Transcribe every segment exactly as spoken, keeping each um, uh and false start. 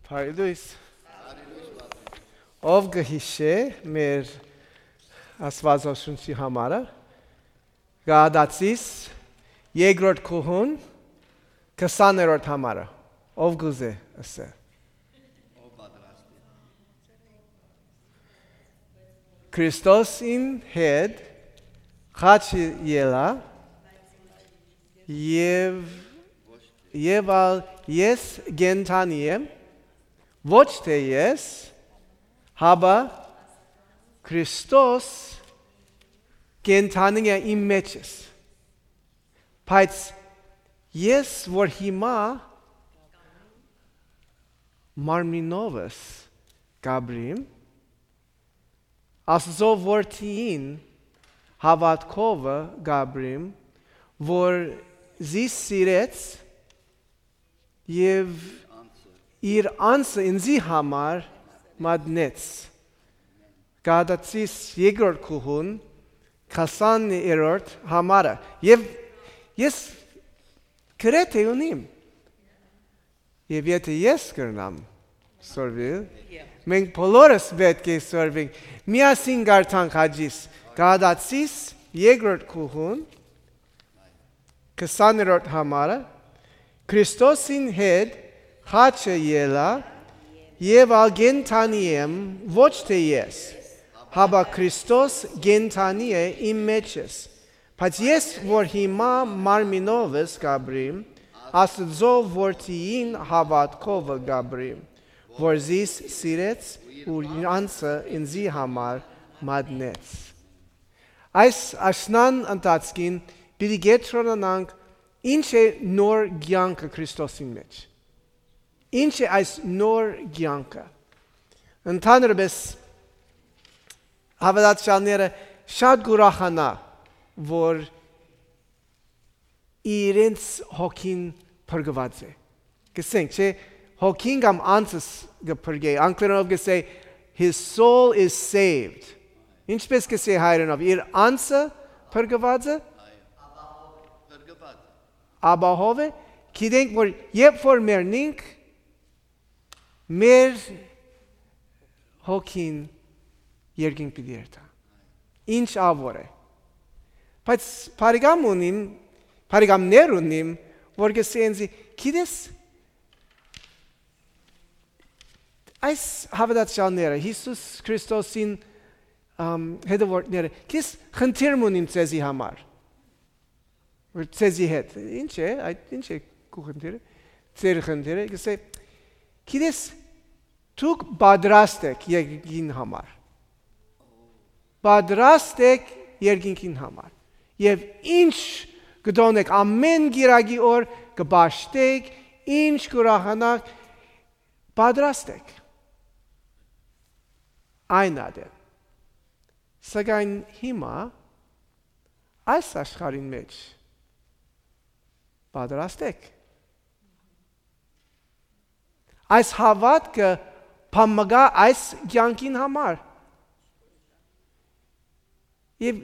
Հարի Լուիս։ Ով կը յիշէ մեր Աստուածաշունչի համարը, Գաղատացիս երկրորդ գլխուն քսաներորդ համարը, ով կուզէ ըսէ։ Քրիստոսին հետ խաչը ելայ, եւ, եւ ալ ես կենդանի եմ, ոչ թէ ես, հապա Քրիստոս կենդանի է իմ մեջս։ Բայց ես որ հիմա մարմինովս կ'ապրիմ, Աստուծոյ որդիին հաւատքովը կ'ապրիմ, որ զիս սիրեց եւ իր անձը ինծի համար մատնեց։ Գաղատացիս երկրորդ գլխուն քսաներորդ համարը։ Եւ ես գրեթէ ունիմ։ Եւ եթէ ես կրնամ սորվիլ, մենք բոլորս պէտք է սորվենք, միասին կարդանք Հաճիս, Գաղատացիս երկրորդ գլխուն քսաներորդ համարը, Քրիստոսին հետ խաչը ելայ, եւ ալ կենդանի եմ, ոչ թէ ես, հապա Քրիստոս կենդանի է իմ մեջս։ Բայց ես որ հիմա մարմինովս կ'ապրիմ, Աստուծոյ որդիին հաւատքովը կ'ապրիմ, որ զիս սիրեց ու իր անձը ինծի համար մատնեց։ Այս աշնան ընթացքին պիտի կեդրոնանանք ինչ է նոր կեանքը Քրիստոսին մէջ։ Ինչ է այս նոր կեանքը։ Ընդհանրապես, հաւատացյալները շատ կ'ուրախանայ, որ իրենց հոգին փրկուած է։ Կ'ըսենք, չէ, հոգին կամ անձս կը փրկէ։ Անգլերէնով կ'ըսէ, "His soul is saved"։ Ինչպէս կ'ըսէ հայերէնով, իր անձը փրկուած է, ապահով է։ Գիտենք, որ երբ որ մեռնենք, մեր հոգին երկինք պիտի երթայ։ Ինչ ահ որ է։ Բայց բարեկամ ունիմ, բարեկամներ ունիմ, որ կ'ըսեն ինծի, "Գիտես, այս հաւատացյալները, Յիսուս Քրիստոսին, ամ, հետեւորդները, գիտես, խնդիր մը ունիմ ձեզի համար, որ ձեզի հետ"։ "Ինչ է, այդ ինչ է քու խնդիրը, ձեր խնդիրը"։ Կ'ըսէ, "Գիտես, դուք պատրաստ էք երկինքին համար։ Պատրաստ էք երկինքին համար։ Եւ ինչ կ'ընէք, ամէն կիրակի օր կը պաշտէք, ինչ կ'ուրախանաք, պատրաստ էք այն ատեն։ Սակայն հիմա այս աշխարհին մէջ պատրաստ էք։ Այս հաւատքը բան մը կա այս կեանքին համար"։ Եւ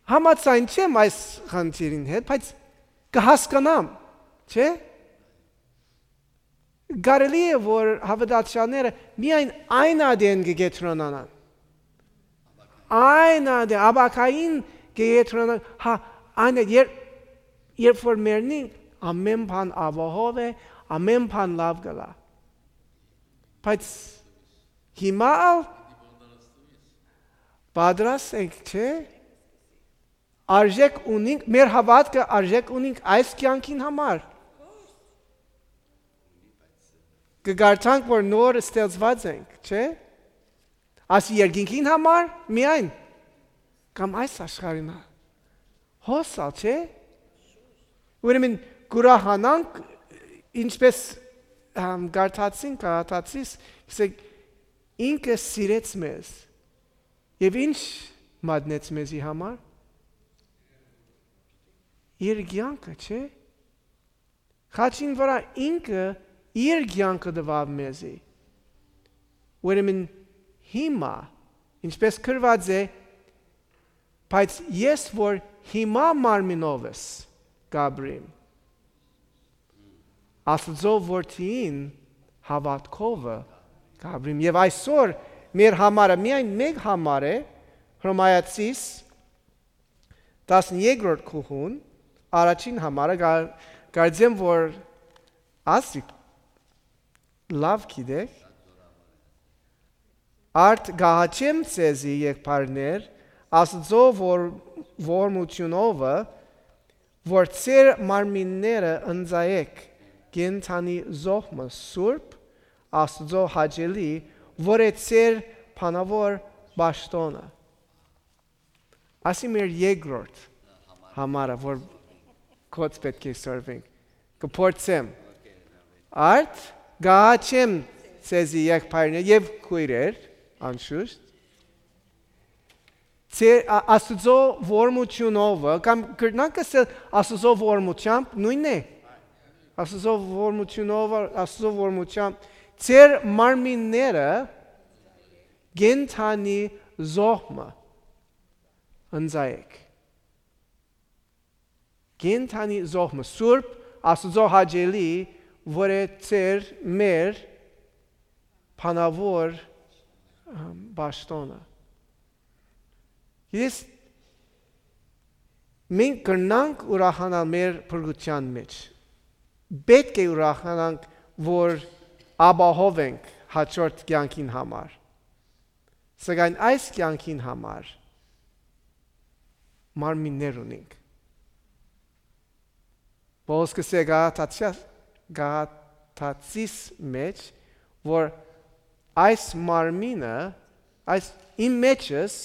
համաձայն չեմ այս խնդիրին հետ, բայց կը հասկնամ, չէ՞։ Կարելի է, որ հաւատացյալները միայն այն ատեն կը կեդրոնանան։ Այն ատեն, ապագային կը կեդրոնանան, հա, այն է, երբ, երբ որ մեռնին, ամէն բան ապահով է, ամէն բան լաւ կ'ըլլայ։ Բայց հիմա ալ պատրաստ ենք, չէ՞։ Արժեք ունինք, մեր հաւատքը արժեք ունինք այս կեանքին համար։ Կը կարդանք, որ նոր ստեղծուած ենք, չէ՞։ Այս երկինքին համար միայն, կամ այս աշխարհին ա-, հոս ալ, չէ՞։ Ուրեմն կ'ուրախանանք, ինչպես, ամ, կարդացին, կարդացիս, գսենք, "Ինքը սիրեց մեզ, եւ ինչ մատնեց մեզի համար"։ Իր կեանքը, չէ՞։ Խաչին վրայ ինքը իր կեանքը տուաւ մեզի։ Ուրեմն հիմա, ինչպես գրուած է, "Բայց ես որ հիմա մարմինովս կ'ապրիմ, Աստուծոյ որդիին հաւատքովը կ'ապրիմ։ Եւ այսօր մեր համարը միայն մէկ համար է, Հռոմայացիս տասներկրորդ գլխուն, առաջին համարը, կար-, կարծեմ որ ասիկ լաւ գիտեք։ Արդ կ'ահաչեմ ձեզի, եղբայրներ, Աստուծոյ որ-, ողորմութիւնովը, որ ձեր մարմինները ընծայէք կենդանի զոհ մը, սուրբ, Աստուծոյ հաճելի, որ է ձեր բանաւոր պաշտօնը։ Ասի մեր երկրորդ համարը, որ կոց պէտք է սորվենք, կը փորձեմ։ Արդ կ'ահաչեմ ձեզի, եղբայրներ եւ քոյրեր, անշուշտ, ձեր, ա-, Աստուծոյ ողորմութիւնովը, կամ կրնանք ըսել Աստուծոյ ողորմութեամբ, նոյնն է։ Աստուծոյ ողորմութիւնովը, Աստուծոյ ողորմութեամբ, ձեր մարմինները կենդանի զոհ մը ընծայէք։ Կենդանի զոհ մը, սուրբ, Աստուծոյ հաճելի, որ է ձեր, մեր բանաւոր, ըմ, պաշտօնը։ Ես, մենք կրնանք ուրախանալ մեր փրկութեան մէջ։ Պէտք է ուրախանանք, որ ապահով ենք հաջորդ կեանքին համար։ Սակայն այս կեանքին համար մարմիններ ունենք։ Պողոս կ'ըսէ Գաղատացիա-, Գաղատացիս մէջ, որ այս մարմինը, այս իմ մեջս,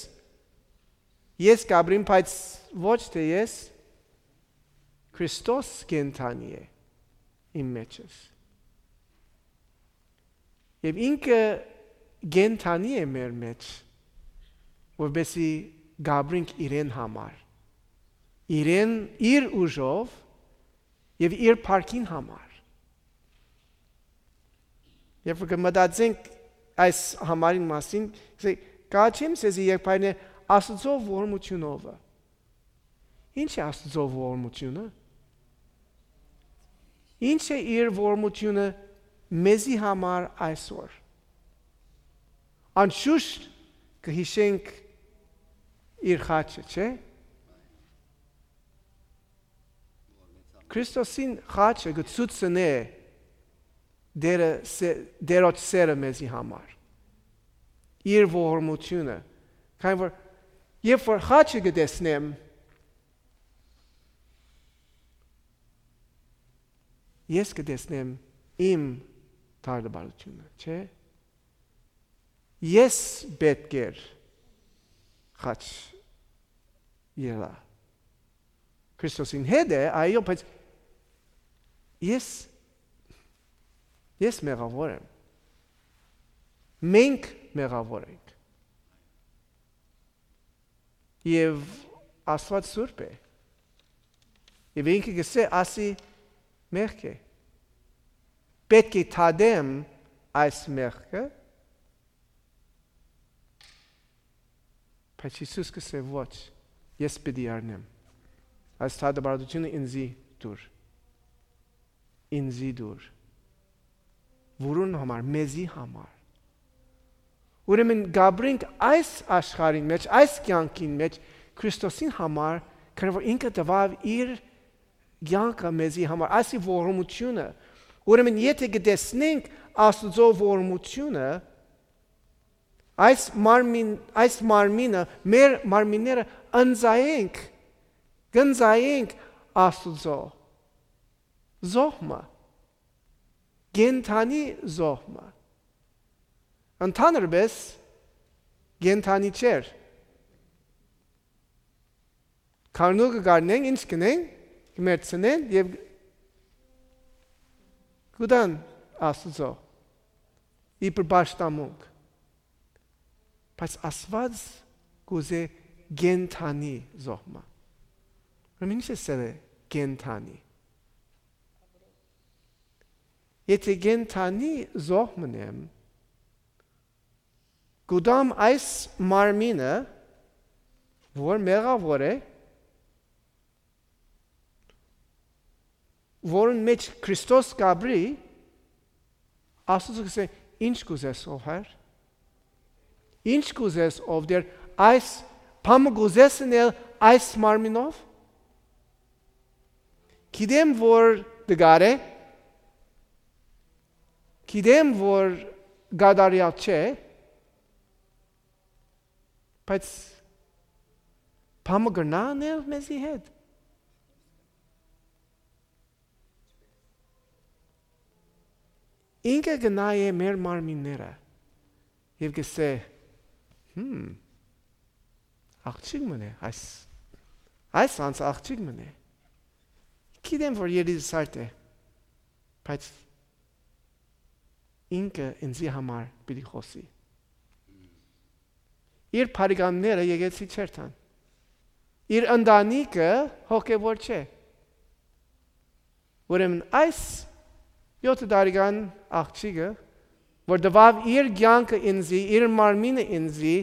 ես կ'ապրիմ, բայց ոչ թէ ես, Քրիստոս կենդանի է իմ մեջս։ Եւ ինքը կենդանի է մեր մէջ, որպեսզի կ'ապրինք իրեն համար, իրեն, իր ուժով եւ իր փառքին համար։ Երբ որ կը մտածենք այս համարին մասին, կ'ըսենք, «Կ'ահաչեմ ձեզի, եղբայրներ, Աստուծոյ ողորմութիւնովը»։ Ի՞նչ է Աստուծոյ ողորմութիւնը։ Ի՞նչ է իր ողորմութիւնը մեզի համար այսօր։ Անշուշտ կը յիշենք իր խաչը, չէ՞։ Քրիստոսին խաչը կը ցուցնէ Տերը սե-, Տերոջ սերը մեզի համար, իր ողորմութիւնը, քանի որ երբ որ խաչը կը տեսնեմ, ես կը տեսնեմ իմ դարդարությունը, չէ՞։ Ես պէտք էր խաչ ելայ։ Քրիստոսին հետ է, այո, բայց ես, ես մեղաւոր եմ։ Մենք մեղաւոր ենք։ Եւ Աստուած սուրբ է։ Եւ ինքը կ'ըսէ, ասի մեղք է։ Պէտք է դատեմ այս մեղքը, բայց Յիսուս կ'ըսէ, «Ոչ, ես պիտի առնեմ։ Այս դատապարտությունը ինծի տուր։ Ինծի տուր»։ Որուն համար, մեզի համար։ Ուրեմն կ'ապրենք այս աշխարհին մէջ, այս կեանքին մէջ Քրիստոսին համար, քանի որ ինքը տուաւ իր կեանքը մեզի համար, այսի ողորմութիւնը։ Ուրեմն եթե կը տեսնենք Աստուծոյ ողորմութիւնը, այս մարմին, այս մարմինը, մեր մարմինները ընծայենք, կ'ընծայենք Աստուծոյ զոհ մը, կենդանի զոհ մը։ Ընդհանրապես կենդանի չէր։ Գառնուկը կ'առնեն, ինչ կ'ընեն, կը մեռցնեն եւ կ'տան Աստուծոյ իբր պաշտամունք։ Բայց Աստուած կ'ուզէ կենդանի զոհ մը։ Ուրեմն ի՞նչ է սերը կենդանի։ Եթե կենդանի զոհ մըն եմ, կ'տամ այս մարմինը, որ մեղաւոր է, որուն մէջ Քրիստոս կ'ապրի, Աստուծոյ կ'ըսէ, «Ի՞նչ կ'ուզես, ով Հայր։ Ի՞նչ կ'ուզես, ով Տէր, այս բանը կ'ուզես ընել այս մարմինով։ Գիտեմ որ դժուար է, գիտեմ որ կատարեալ չէ, բայց բանը կրնա ընել մեզի հետ»։ Ինքը կը նայէ մեր մարմինները եւ կ'ըսէ, «Հմ, աղջիկ մըն է, այս, այս անձը աղջիկ մըն է։ Գիտեմ որ երիտասարդ է, բայց ինքը ինծի համար պիտի խօսի»։ Իր բարեկամները եկեղեցի չէր տան։ Իր ընտանիքը հոգեւոր չէ։ Ուրեմն այս եօթը տարեկան աղջիկը, որ տուաւ իր կեանքը ինծի, իր մարմինը ինծի,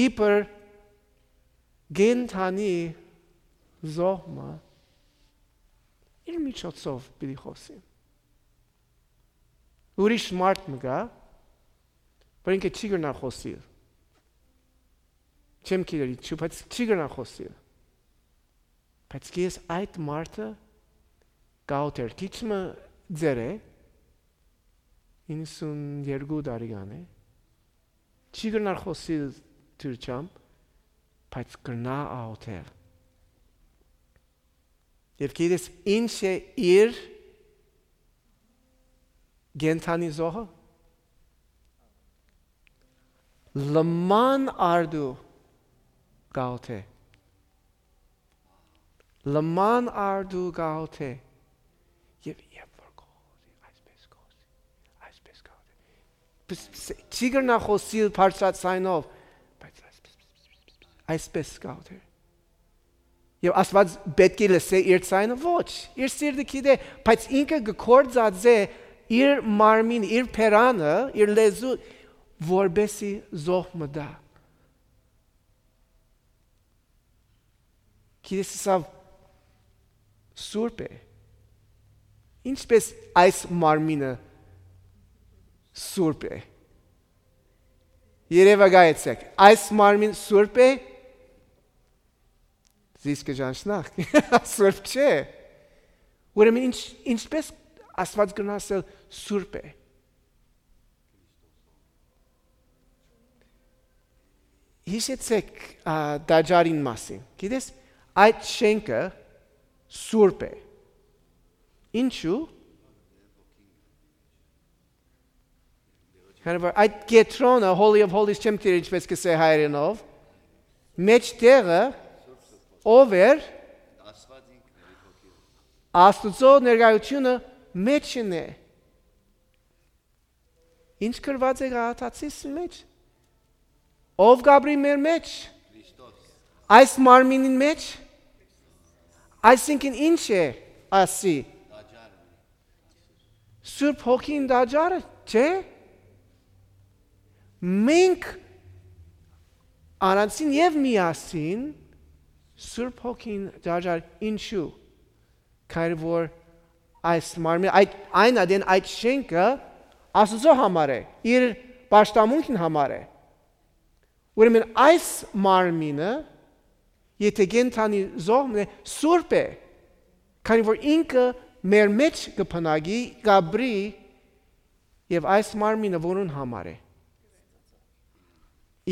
իբր կենդանի զոհ մը, իր միջոցով պիտի խօսի։ Ուրիշ մարդ մը կայ, որ ինքը չի կրնար խօսիլ։ Չեմ գիտեր ինչու, բայց չի կրնար խօսիլ։ Բայց ես այդ մարդը կ'աւտեր, քիչ մը ծեր է, իննսուն երկու տարեկան է, չի կրնար խօսիլ թուրքերէն, բայց կրնայ աւտել։ Եւ գիտես ինչ է իր կենդանի զոհը։ Լման արդու կ'աւտէ։ Լման արդու կ'աւտէ։ Եւ երբ որ կ'աւտի, այսպես կ'աւտի, այսպես կ'աւտի։ Պս-, պս-, չի կրնայ խօսիլ բարձրաձայնով, բայց այսպես, այսպես կ'աւտի։ Եւ Աստուած պէտք է լսէ իր ձայնը, ոչ, իր սիրտը գիտէ, բայց ինքը կը գործածէ իր մարմին, իր բերանը, իր լեզու, որպեսի զոհ մը տայ։ Գիտես, սա սուրբ է։ Ինչպես այս մարմինը սուրբ է։ Երևակայեցեք, այս մարմին սուրբ է, զիս կը ճանչնաք, սուրբ չէ։ Ուրեմն ինչ, ինչպես Աստուած կրնայ ասել սուրբ է։ Հիշեցեք, ա, տաճարին մասին։ Գիտես, այդ շենքը սուրբ է։ Ինչու՞։ Քանի որ այդ կեդրոնը, Holy of Holies, չեմ գիտեր ինչպես կ'ըսէ հայերէնով, մէջտեղը ով էր։ Աստուծոյ ներկայութիւնը մէջն է։ Ինչ գրուած է Գաղատացիս մէջ։ Ով կ'ապրի մեր մէջ։ Այս մարմինին մէջ։ Այսինքն ինչ է ասի։ Սուրբ Հոգին տաճարը, չէ՞։ Մենք առանձին եւ միասին Սուրբ Հոգին տաճար, ինչու։ Քանի որ այս մարմին, այդ, այն ատեն այդ շենքը Աստուծոյ համար է, իր պաշտամունքին համար է։ Ուրեմն այս մարմինը, եթե կենդանի զոհ մը, սուրբ է, քանի որ ինքը մեր մէջ կը բնակի, կ'ապրի եւ այս մարմինը որուն համար է։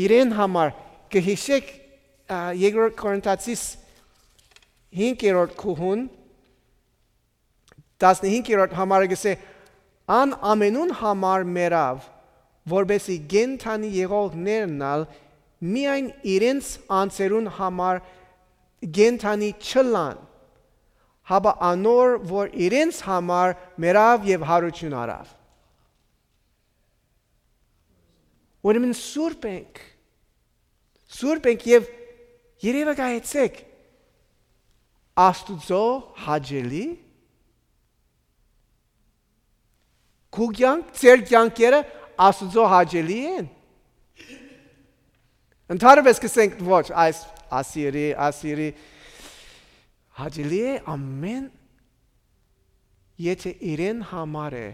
Իրեն համար, կը հիշեք, ա, երկրորդ Կորինթացիս հինգերորդ գլխուն, տասնհինգերորդ համարը կ'ըսէ. «Ան ամենուն համար մեռաւ, որպեսզի կենդանի եղողներն ալ միայն իրենց անձերուն համար կենդանի չըլլան, հապա անոր, որ իրենց համար մեռաւ եւ յարութիւն առաւ»։ Ուրեմն սուրբ ենք, սուրբ ենք եւ երեւակայեցեք Աստուծոյ հաճելի։ Քու կեանք, ձեր կեանքերը Աստուծոյ հաճելի են։ Ընդհանրապես կ'ըսենք, ոչ, այս ասիրի, ասիրի, հաճելի է ամեն, եթե իրեն համար է,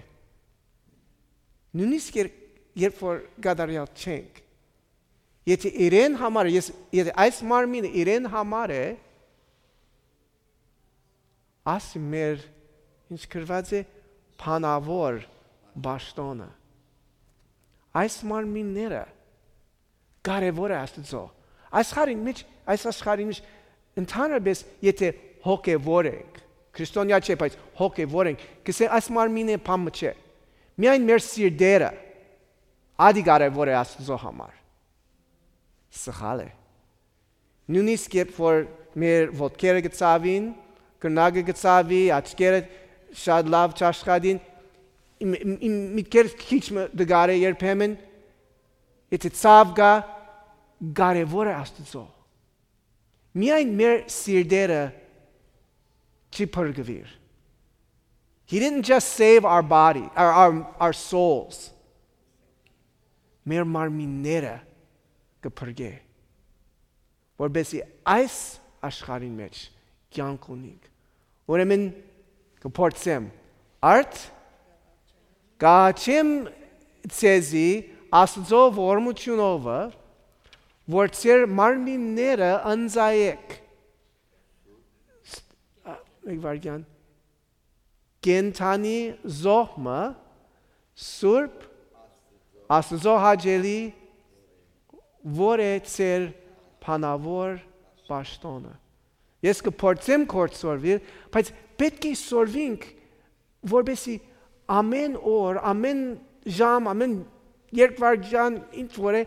Նոյնիսկ եր-, երբ որ կատարեալ չենք, եթե իրեն համար է, ես, եթե այս մարմինը իրեն համար է, ասի մեր, ինչ գրուած է, բանաւոր պաշտօնը։ Այս մարմինները կարեւոր է Աստուծոյ։ Այս աշխարհին մէջ, այս աշխարհին մէջ, ընդհանրապէս, եթե հոգեւոր ենք, քրիստոնեայ չէ, բայց հոգեւոր ենք, կ'ըսեն, այս մարմինը բան մը չէ։ Միայն մեր սիրտերը, ադի կարեւոր է Աստուծոյ համար։ Սխալ է։ Նոյնիսկ երբ որ մեր ոտքերը կը ցաւին, կրնակը կը ցաւի, աչքերը շատ լաւ չաշխատին, իմ, իմ, իմ միտքերը քիչ մը դգարե երբեմն, եթե ցաւ կայ, կարեւոր է Աստուծոյ։ Միայն մեր սիրտերը չի փրկուիր։ He didn't just save our body, our, our, our souls. Մեր մարմինները կը փրկէ, որպեսզի այս աշխարհին մէջ կեանք ունինք։ Ուրեմն կը փորձեմ, արդ, կ'աղաչեմ ձեզի Աստուծոյ ողորմութիւնովը, որ ձեր մարմինները ընծայէք։ Ս-, ա, մէկ վայրկեան։ Կենդանի զոհ մը, սուրբ, Աստուծոյ հաճելի, որ է ձեր բանաւոր պաշտօնը։ Ես կը փորձեմ կորցորվիլ, բայց պէտք է սորվինք, որպեսզի ամէն օր, ամէն ժամ, ամէն երկվայրկեան, ինչ որ է,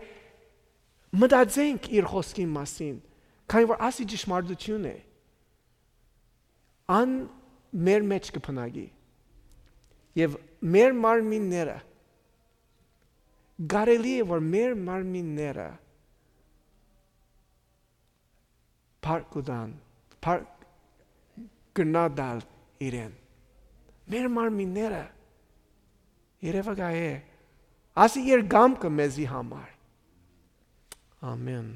մտածենք իր խօսքին մասին, քանի որ ասի ճշմարտութիւն է։ Ան մեր մէջ կը բնակի։ Եւ մեր մարմինները, կարելի է որ մեր մարմինները փառք կու տան, փառք կրնայ տալ իրեն։ Մեր մարմինները երեւակայ է, ասի իր կամքը մեզի համար։ Ամեն։